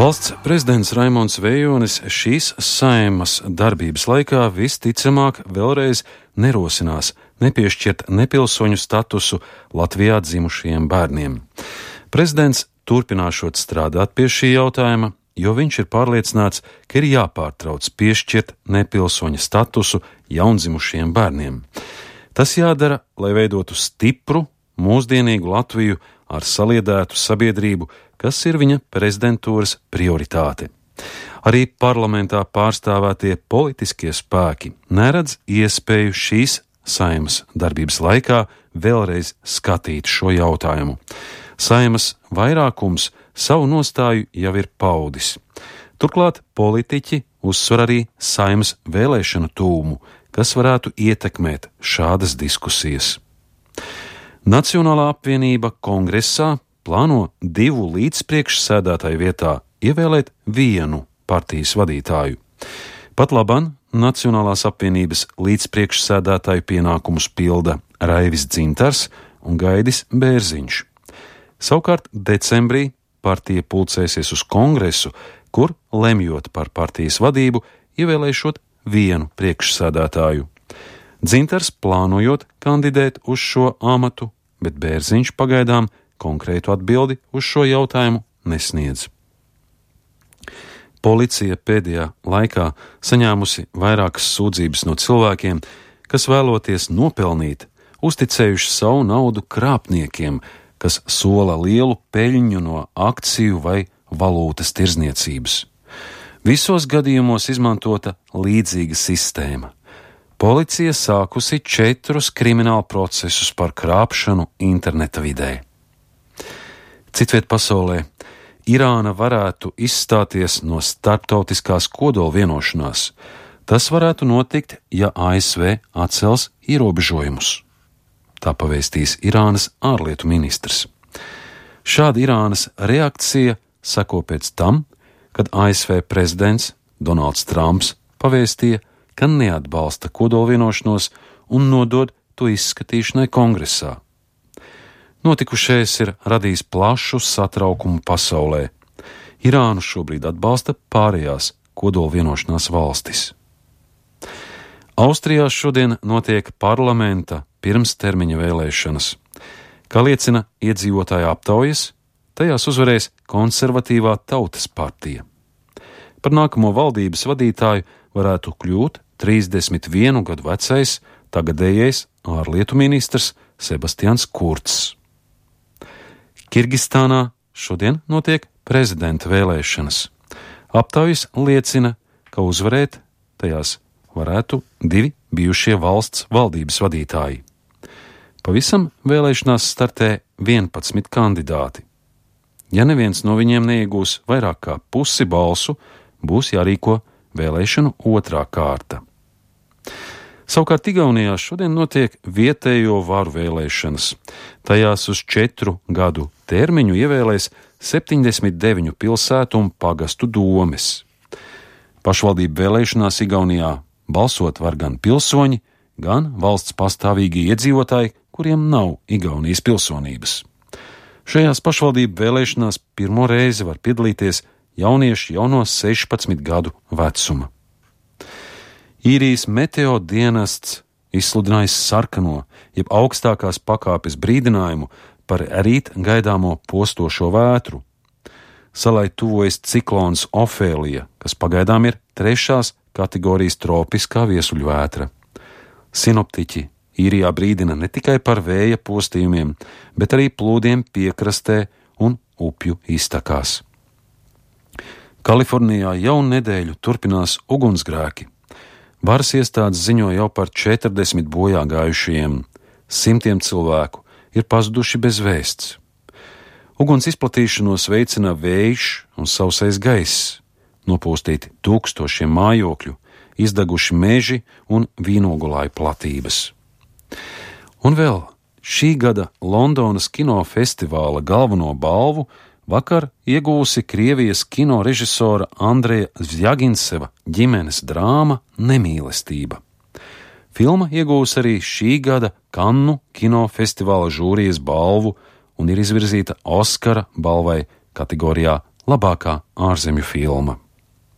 Valsts prezidents Raimonds Vejonis šīs Saeimas darbības laikā visticamāk vēlreiz nerosinās nepiešķirt nepilsoņu statusu Latvijā dzimušajiem bērniem. Prezidents turpināšot strādāt pie šī jautājuma, jo viņš ir pārliecināts, ka ir jāpārtrauc piešķirt nepilsoņa statusu jaundzimušajiem bērniem. Tas jādara, lai veidotu stipru, mūsdienīgu Latviju ar saliedētu sabiedrību, kas ir viņa prezidentūras prioritāte. Arī parlamentā pārstāvētie politiskie spēki neredz iespēju šīs Saeimas darbības laikā vēlreiz skatīt šo jautājumu. Saeimas vairākums savu nostāju jau ir paudis. Turklāt politiķi uzsver arī Saeimas vēlēšanu tūmu, kas varētu ietekmēt šādas diskusijas. Nacionālā apvienība Kongresā plāno 2 līdzpriekšsēdētāju vietā ievēlēt 1 partijas vadītāju. Pat labam Nacionālās apvienības līdzpriekšsēdētāju pienākumus pilda Raivis Dzintars un Gaidis Bērziņš. Savukārt decembrī partija pulcēsies uz kongresu, kur, lemjot par partijas vadību, ievēlēšot 1 priekšsēdētāju. Dzintars plānojot kandidēt uz šo amatu, bet Bērziņš pagaidām konkrētu atbildi uz šo jautājumu nesniedz. Policija pēdējā laikā saņēmusi vairākas sūdzības no cilvēkiem, kas vēloties nopelnīt, uzticējuši savu naudu krāpniekiem, kas sola lielu peļņu no akciju vai valūtas tirzniecības. Visos gadījumos izmantota līdzīga sistēma. Policija sākusi 4 kriminālu procesus par krāpšanu interneta vidē. Citviet pasaulē Irāna varētu izstāties no starptautiskās kodola vienošanās. Tas varētu notikt, ja ASV atcels ierobežojumus. Tā pavēstīs Irānas ārlietu ministrs. Šāda Irānas reakcija seko pēc tam, kad ASV prezidents Donalds Trumps pavēstīja, ka neatbalsta kodola vienošanos un nodod to izskatīšanai kongresā. Notikušais ir radījis plašu satraukumu pasaulē. Irānu šobrīd atbalsta pārējās kodola vienošanās valstis. Austrijā šodien notiek parlamenta pirmstermiņa vēlēšanas. Kā liecina iedzīvotāju aptaujas, tajās uzvarēs konservatīvā Tautas partija. Par nākamo valdības vadītāju varētu kļūt 31 gadu vecais tagadējais ārlietu ministrs Sebastians Kurcs. Kirgistānā šodien notiek prezidenta vēlēšanas. Aptaujas liecina, ka uzvarēt tajās varētu 2 bijušie valsts valdības vadītāji. Pavisam vēlēšanās startē 11 kandidāti. Ja neviens no viņiem neiegūs vairāk kā pusi balsu, būs jārīko vēlēšanu 2. kārta. Savukārt Igaunijā šodien notiek vietējo varu vēlēšanas. Tajās uz 4 gadu termiņu ievēlēs 79 pilsētu un pagastu domes. Pašvaldību vēlēšanās Igaunijā balsot var gan pilsoņi, gan valsts pastāvīgi iedzīvotāji, kuriem nav Igaunijas pilsonības. Šajās pašvaldību vēlēšanās pirmo reizi var piedalīties jaunieši jau no 16 gadu vecuma. Īrijas meteo dienests izsludinājis sarkano, jeb augstākās pakāpes brīdinājumu par rīt gaidāmo postošo vētru. Salai tuvojas ciklons Ofēlija, kas pagaidām ir 3. kategorijas tropiskā viesuļvētra. Sinoptiķi Īrijā brīdina ne tikai par vēja postījumiem, bet arī plūdiem piekrastē un upju iztakās. Kalifornijā jau nedēļu turpinās ugunsgrēki. Varas iestādes ziņo jau par 40 bojā gājušajiem, 100 cilvēku ir pazuduši bez vēsts. Uguns izplatīšanos veicina vējš un sausais gaiss, nopūstīti tūkstošiem mājokļu, izdeguši meži un vīnogulāju platības. Un vēl šī gada Londonas kinofestivāla galveno balvu vakar iegūsi Krievijas kino režisora Andreja Zjaginseva ģimenes drāma Nemīlestība. Filma iegūs arī šī gada Kannu kinofestivāla žūrijas balvu un ir izvirzīta Oskara balvai kategorijā labākā ārzemju filma.